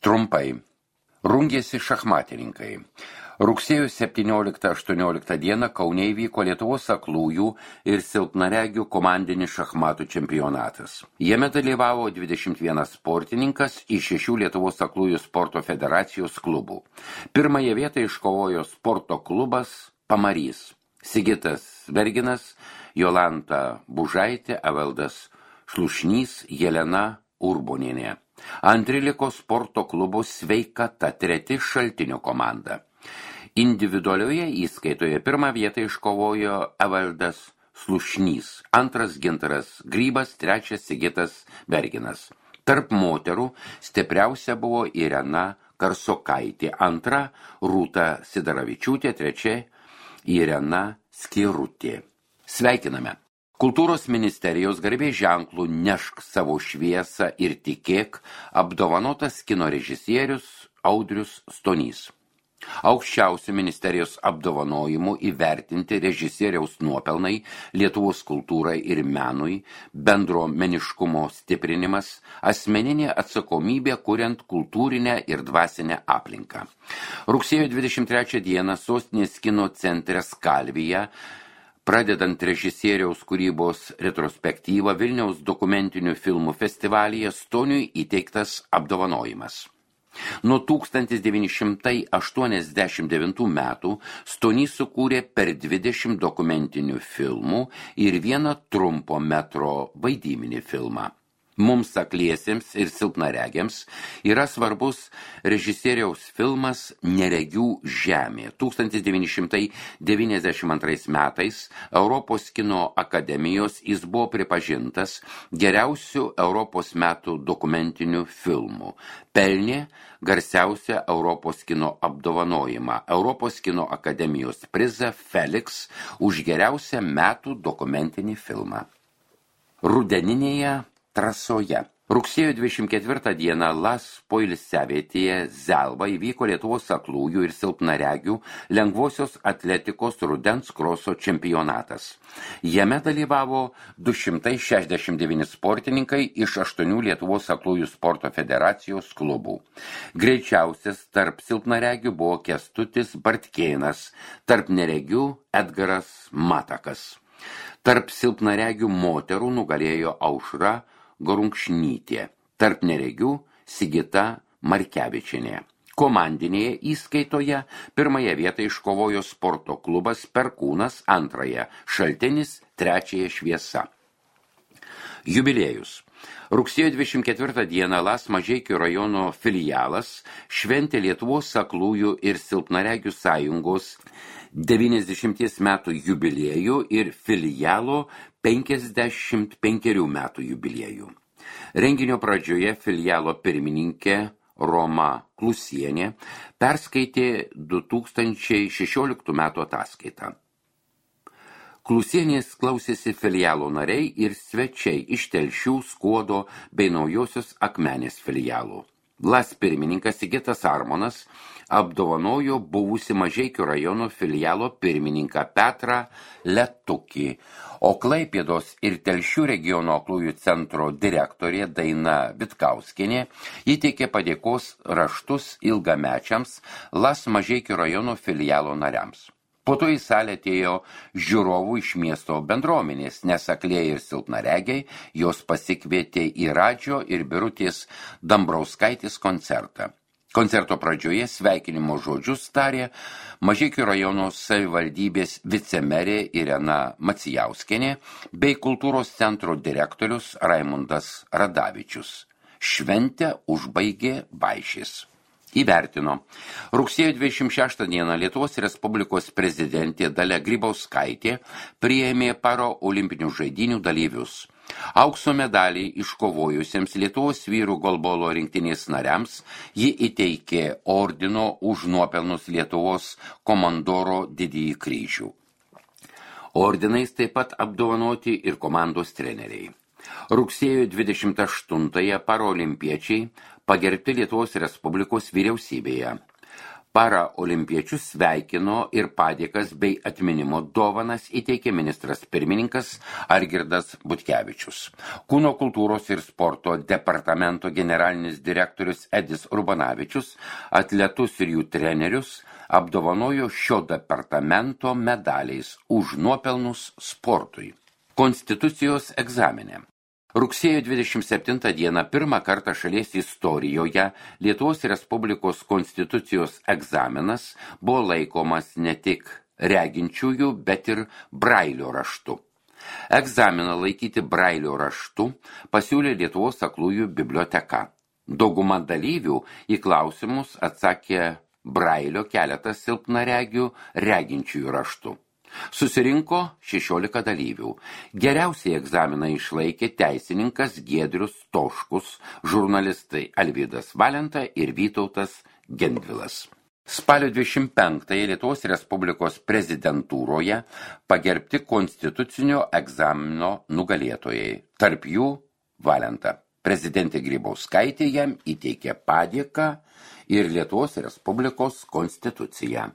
Trumpai. Rungėsi šachmatininkai. Rugsėjo 17-18 dieną Kaune įvyko Lietuvos aklųjų ir silpnaregių komandinis šachmatų čempionatas. Jame dalyvavo 21 sportininkas iš 6 Lietuvos aklųjų sporto federacijos klubų. Pirmąją vietą iškovojo sporto klubas Pamarys. Sigitas Verginas, Jolanta Bužaitė, Evaldas Šlušnys, Jelena Urbonienė. Antri liko sporto klubo Sveikata, treti Šaltinio komanda. Individualioje įskaitoje pirmą vietą iškovojo Evaldas Šlušnys, antras Gintaras Grybas, trečias Sigitas Verginas. Tarp moterų stipriausia buvo Irena Karsokaitė, antra Rūta Sidaravičiūtė, trečia Irena Skirutė. Sveikiname! Kultūros ministerijos garbės ženklų Nešk savo šviesą ir tikėk apdovanotas kino režisierius Audrius Stonys. Aukščiausių ministerijos apdovanojimų įvertinti režisieriaus nuopelnai Lietuvos kultūrai ir menui, bendruomeniškumo stiprinimas, asmeninė atsakomybė kuriant kultūrinę ir dvasinę aplinką. Rugsėjo 23 dieną sostinės kino centre Skalvija, pradedant režisieriaus kūrybos retrospektyvą Vilniaus dokumentinių filmų festivalyje, Stoniui įteiktas apdovanojimas. Nuo 1989 metų Stonys sukūrė per 20 dokumentinių filmų ir vieną trumpo metro vaidybinį filmą. Mums akliesiems ir silpnaregiams yra svarbus režisieriaus filmas Neregių žemė. 1992 metais Europos kino akademijos jis buvo pripažintas geriausiu Europos metų dokumentiniu filmu. Pelnė garsiausią Europos kino apdovanojimą, Europos kino akademijos prizą Felix už geriausią metų dokumentinį filmą. Rudeninėje trasoje. Rugsėjo 24 dieną Las poilsiavietėje Zelva įvyko Lietuvos aklųjų ir silpnaregių lengvosios atletikos rudens kroso čempionatas. Jame dalyvavo 269 sportininkai iš 8 Lietuvos aklųjų sporto federacijos klubų. Greičiausias tarp silpnaregių buvo Kęstutis Bartkėnas, tarp neregių Edgaras Matakas. Tarp silpnaregių moterų nugalėjo Aušra Gorunkšnytė, tarp neregių Sigita Markevičienė. Komandinėje įskaitoje pirmąją vietą iškovojo sporto klubas Perkūnas, antrąją Šaltinis, trečiąją Šviesa. Jubiliejus. Rugsėjo 24 dieną Las Mažeikių rajono filialas šventė Lietuvos aklųjų ir silpnaregių sąjungos 90 metų jubiliejų ir filialo 55 metų jubiliejų. Renginio pradžioje filialo pirmininkė Roma Klusienė perskaitė 2016 metų ataskaitą. Klusienės klausėsi filialo nariai ir svečiai iš Telšių, Skuodo bei Naujosios Akmenės filialų. Las pirmininkas Sigitas Armonas apdovanojo buvusi Mažeikių rajono filialo pirmininką Petrą Letukį, o Klaipėdos ir Telšių regiono aklųjų centro direktorė Daina Vitkauskienė įteikė padėkos raštus ilgamečiams Las Mažeikių rajono filialo nariams. Po to į salę atėjo žiūrovų iš miesto bendruomenės, nes aklieji ir silpnaregiai jos pasikvietė į Radžio ir Birutės Dambrauskaitės koncertą. Koncerto pradžioje sveikinimo žodžius tarė Mažeikių rajono savivaldybės vicemerė Irena Macijauskienė bei kultūros centro direktorius Raimundas Radavičius. Šventę užbaigė Vaišis. Įvertino. Rugsėjo 26 dieną Lietuvos Respublikos prezidentė Dalia Grybauskaitė priėmė paraolimpinių žaidynių dalyvius. Aukso medalį iškovojusiems Lietuvos vyrų golbolo rinktinės nariams ji įteikė ordino už nuopelnus Lietuvos komandoro didįjį kryžių. Ordinais taip pat apdovanoti ir komandos treneriai. Rugsėjo 28-ąją paraolimpiečiai pagerbti Lietuvos Respublikos vyriausybėje. Paraolimpiečius sveikino ir padėkas bei atminimo dovanas įteikė ministras pirmininkas Algirdas Butkevičius. Kūno kultūros ir sporto departamento generalinis direktorius Edis Urbanavičius atletus ir jų trenerius apdovanojo šio departamento medaliais už nuopelnus sportui. Konstitucijos egzamine. Rugsėjo 27 dieną pirmą kartą šalies istorijoje Lietuvos Respublikos konstitucijos egzaminas buvo laikomas ne tik reginčiųjų, bet ir brailio raštu. Egzaminą laikyti brailio raštu pasiūlė Lietuvos aklųjų biblioteka. Dauguma dalyvių į klausimus atsakė brailio, keletas silpnaregių reginčiųjų raštu. Susirinko 16 dalyvių. Geriausiai egzaminą išlaikė teisininkas Giedrius Toškus, žurnalistai Alvydas Valenta ir Vytautas Gendvilas. Spalio 25 Lietuvos Respublikos prezidentūroje pagerbti konstitucinio egzamino nugalėtojai. Tarp jų Valenta. Prezidentė Grybauskaitė jam įteikė padėką ir Lietuvos Respublikos konstituciją.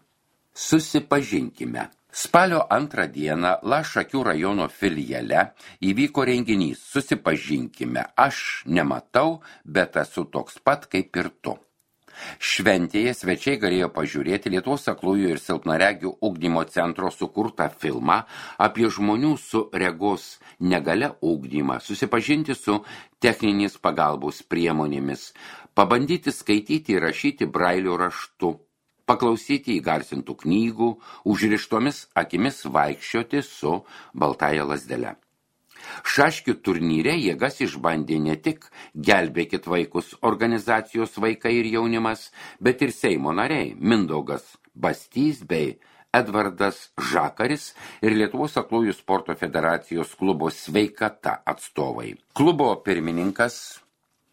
Susipažinkime. Spalio 2 dieną Lašakių rajono filiale įvyko renginys Susipažinkime, aš nematau, bet esu toks pat kaip ir tu. Šventėje svečiai galėjo pažiūrėti Lietuvos aklųjų ir silpnaregių ugdymo centro sukurtą filmą apie žmonių su regos negalia ugdymą, susipažinti su techninės pagalbos priemonėmis, pabandyti skaityti ir rašyti brailio raštu, paklausyti įgarsintų knygų, užrištomis akimis vaikščioti su baltąja lazdele. Šaškių turnyre jėgas išbandė ne tik Gelbėkit vaikus organizacijos Vaikai ir jaunimas, bet ir Seimo nariai Mindaugas Bastys bei Edvardas Žakaris ir Lietuvos aklųjų sporto federacijos klubo Sveikata atstovai. Klubo pirmininkas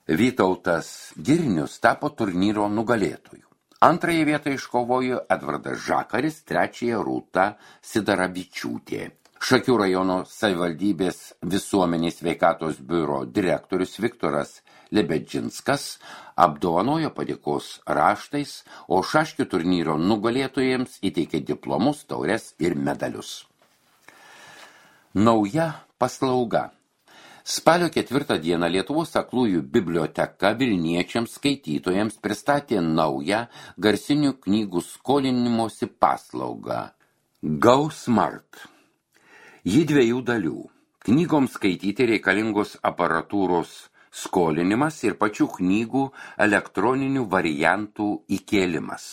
Vytautas Girnius tapo turnyro nugalėtoju. Antrąją vietą iškovojo Edvardas Žakaris, trečiąją Rūta Sidaravičiūtė. Šakių rajono savivaldybės visuomenės sveikatos biuro direktorius Viktoras Lebedžinskas apdovanojo padėkos raštais, o šaškių turnyro nugalėtojams įteikė diplomus, taures ir medalius. Nauja paslauga. Spalio 4 dieną Lietuvos aklųjų biblioteka Vilniečiams skaitytojams pristatė naują garsinių knygų skolinimosi paslaugą Go Smart. Ji 2 dalių. Knygoms skaityti reikalingos aparatūros skolinimas ir pačių knygų elektroninių variantų įkėlimas.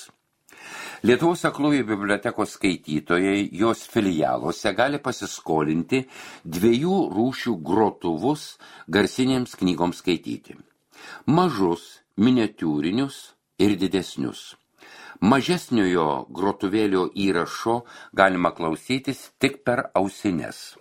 Lietuvos aklųjų bibliotekos skaitytojai jos filialuose gali pasiskolinti 2 rūšių grotuvus garsinėms knygoms skaityti. Mažus, miniatiūrinius ir didesnius. Mažesniojo grotuvėlio įrašo galima klausytis tik per ausines.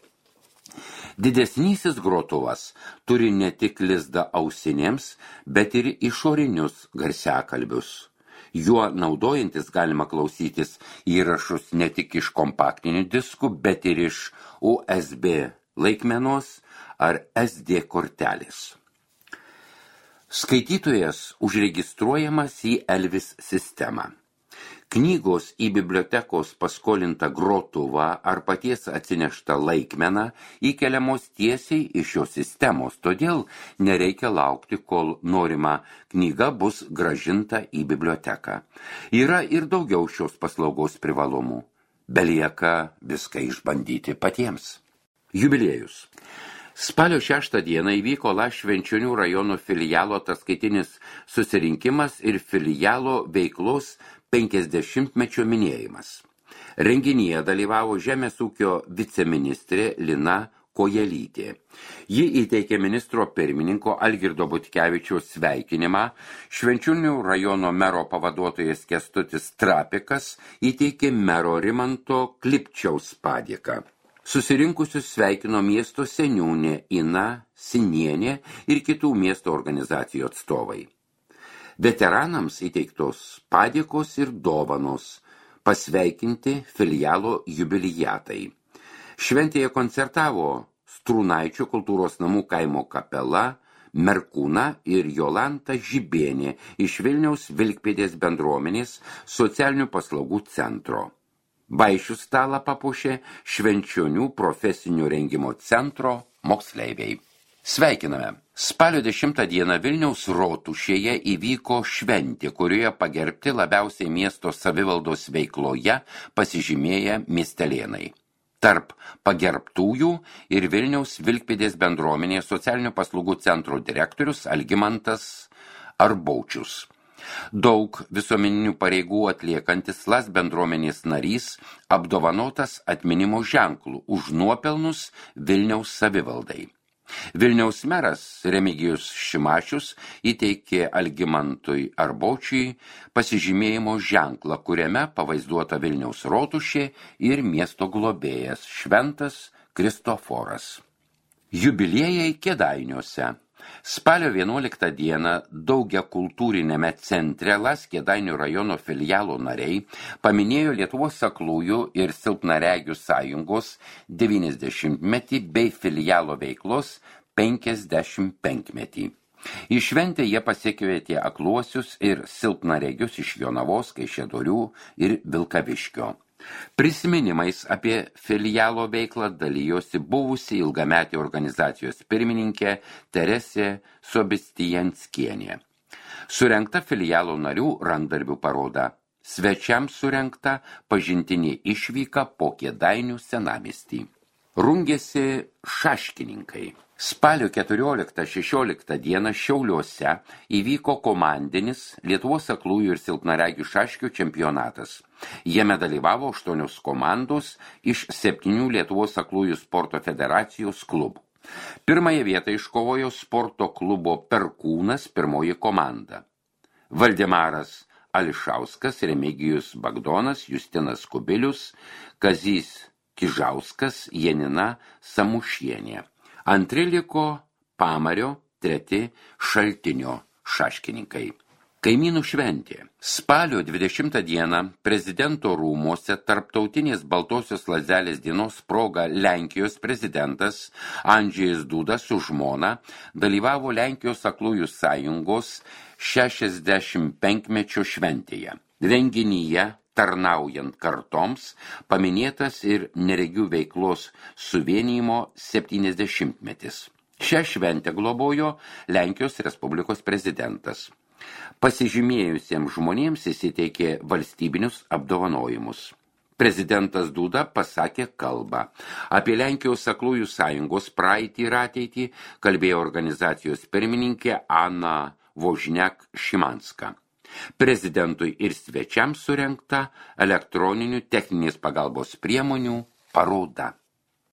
Didesnysis grotuvas turi ne tik lizdą ausinėms, bet ir išorinius garsiakalbius. Juo naudojantis galima klausytis įrašus ne tik iš kompaktinių diskų, bet ir iš USB laikmenos ar SD kortelės. Skaitytojas užregistruojamas į Elvis sistemą. Knygos į bibliotekos paskolintą grotuvą ar paties atsineštą laikmeną įkeliamos tiesiai iš šios sistemos, todėl nereikia laukti, kol norima knyga bus grąžinta į biblioteką. Yra ir daugiau šios paslaugos privalumų. Belieka viską išbandyti patiems. Jubiliejus. Spalio 6 dieną įvyko Švenčionių rajono filialo ataskaitinis susirinkimas ir filialo veiklos 50-mečio minėjimas. Renginyje dalyvavo žemės ūkio viceministrė Lina Kojelytė. Ji įteikė ministro pirmininko Algirdo Butkevičiaus sveikinimą, Švenčionių rajono mero pavaduotojas Kęstutis Trapikas įteikė mero Rimanto Klipčiaus padėką. Susirinkusius sveikino miesto seniūnė Ina Sinienė ir kitų miesto organizacijų atstovai. Veteranams įteiktos padėkos ir dovanos, pasveikinti filialo jubilijatai. Šventėje koncertavo Strūnaičių kultūros namų kaimo kapela Merkūną ir Jolanta Žibienė iš Vilniaus Vilkpėdės bendruomenės socialinių paslaugų centro. Vaišių stalą papuošė Švenčionių profesinio rengimo centro moksleiviai. Sveikiname! Spalio 10 dieną Vilniaus Rotušėje įvyko šventė, kurioje pagerbti labiausiai miesto savivaldos veikloje pasižymėję miestelėnai. Tarp pagerbtųjų ir Vilniaus Vilkpėdės bendruomenės socialinių paslaugų centro direktorius Algimantas Arbaučius. Daug visuomeninių pareigų atliekantis LAS bendruomenės narys apdovanotas atminimo ženklų už nuopelnus Vilniaus savivaldai. Vilniaus meras Remigijus Šimašius įteikė Algimantui Arbaučiui pasižymėjimo ženklą, kuriame pavaizduota Vilniaus Rotušė ir miesto globėjas Šventas Kristoforas. Jubiliejai Kėdainiuose. Spalio 11 dieną daugiakultūrinėme centre LAS Kėdainių rajono filialo nariai paminėjo Lietuvos aklųjų ir silpnaregių sąjungos 90-metį bei filialo veiklos 55-metį. Į šventę jie pasikvietė akluosius ir silpnaregius iš Jonavos, Kaišiadorių ir Vilkaviškio. Prisiminimais apie filialo veiklą dalijosi buvusi ilgametė organizacijos pirmininkė Teresė Sobistijanskienė. Surengta filialo narių rankdarbių paroda. Svečiams surengta pažintinė išvyka po Kėdainių senamiestį. Rungėsi šaškininkai. Spalio 14-16 dieną Šiauliuose įvyko komandinis Lietuvos aklųjų ir silpnaregių šaškių čempionatas. Jame dalyvavo 8 komandos iš 7 Lietuvos aklųjų sporto federacijos klubų. Pirmąją vietą iškovojo sporto klubo Perkūnas pirmoji komanda. Valdemaras Ališauskas, Remigijus Bagdonas, Justinas Kubilius, Kazys Kižauskas, Janina Samušienė. Antri liko Pamario, treti Šaltinio šaškininkai. Kaimynų šventė. Spalio 20 dieną prezidento rūmuose tarptautinės Baltosios lazdelės dienos proga Lenkijos prezidentas Andžejus Duda su žmona dalyvavo Lenkijos aklųjų sąjungos 65-mečio šventėje. Renginyje tarnaujant kartoms, paminėtas ir neregių veiklos suvienijimo 70-metis. Šią šventę globojo Lenkijos Respublikos prezidentas. Pasižymėjusiems žmonėms įsiteikė valstybinius apdovanojimus. Prezidentas Duda pasakė kalbą. Apie Lenkijos aklųjų sąjungos praeitį ir ateitį kalbėjo organizacijos pirmininkė Ana Vožniak-Šimanska. Prezidentui ir svečiams surengta elektroninių techninės pagalbos priemonių paroda.